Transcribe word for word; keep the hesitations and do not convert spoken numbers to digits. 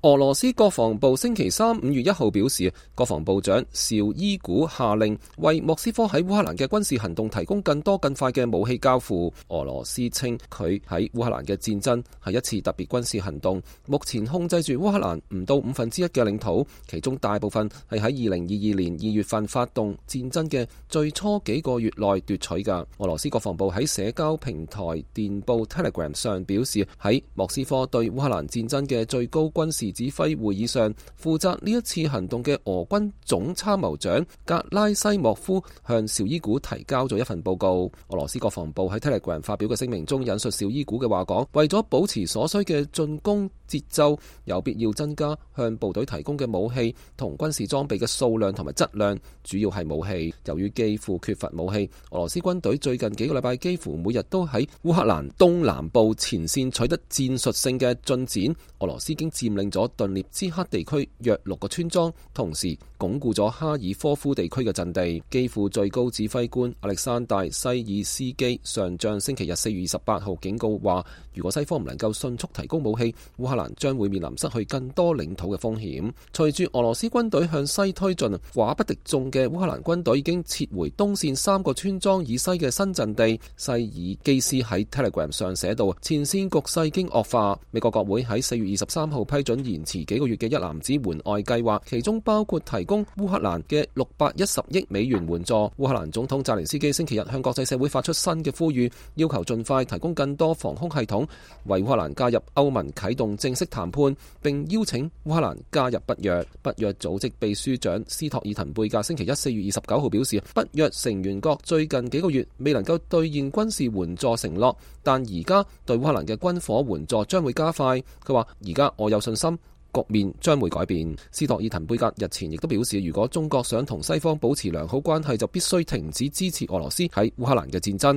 俄羅斯國防部星期三五月一號表示，國防部長紹伊古下令為莫斯科喺烏克蘭嘅軍事行動提供更多更快嘅武器交付。俄羅斯稱佢喺烏克蘭嘅戰爭係一次特別軍事行動，目前控制住烏克蘭唔到五分之一嘅領土，其中大部分係喺二零二二年二月份發動戰爭嘅最初幾個月內奪取㗎。俄羅斯國防部喺社交平台電報 Telegram 上表示，喺莫斯科對烏克蘭戰爭嘅最高軍事指揮會議上，負責呢一次行動嘅俄軍總參謀長格拉西莫夫向紹伊古提交咗一份報告。俄羅斯國防部喺 Telegram 發表嘅聲明中引述紹伊古嘅話講，為咗保持所需嘅進攻節奏，有必要增加向部隊提供嘅武器同軍事裝備嘅數量同埋質量，主要係武器。由於基輔缺乏武器，俄羅斯軍隊最近幾個禮拜幾乎每日都喺烏克蘭東南部前線取得戰術性嘅進展。俄羅斯已經佔領咗頓涅茨克地區約六個村莊，同時鞏固咗哈爾科夫地區嘅陣地。基輔最高指揮官亞歷山大西爾斯基上將星期日四月二十八號警告話，如果西方唔能夠迅速提供武器，烏克蘭將會面臨失去更多領土嘅風險。隨住俄羅斯軍隊向西推進，寡不敵眾嘅烏克蘭軍隊已經撤回東線三個村莊以西嘅新陣地。西爾基斯喺 Telegram 上寫道，前線局勢已經惡化。美國國會喺四月二十三號批准延遲幾個月嘅一籃子援外計劃，其中包括提供烏克蘭嘅六百一十億美元援助。烏克蘭總統澤連斯基星期日向國際社會發出新嘅呼籲，要求盡快提供更多防空系統，為烏克蘭加入歐盟啟動正式談判，並邀請烏克蘭加入北約。北約組織秘書長斯托爾滕貝格星期一四月二十九號表示，北約成員國最近幾個月未能夠兌現軍事援助承諾，但而家對烏克蘭嘅軍火援助將會加快。佢話：而家我有信心局面將會改變。斯托爾滕貝格日前亦都表示，如果中國想同西方保持良好關係，就必須停止支持俄羅斯喺烏克蘭嘅戰爭。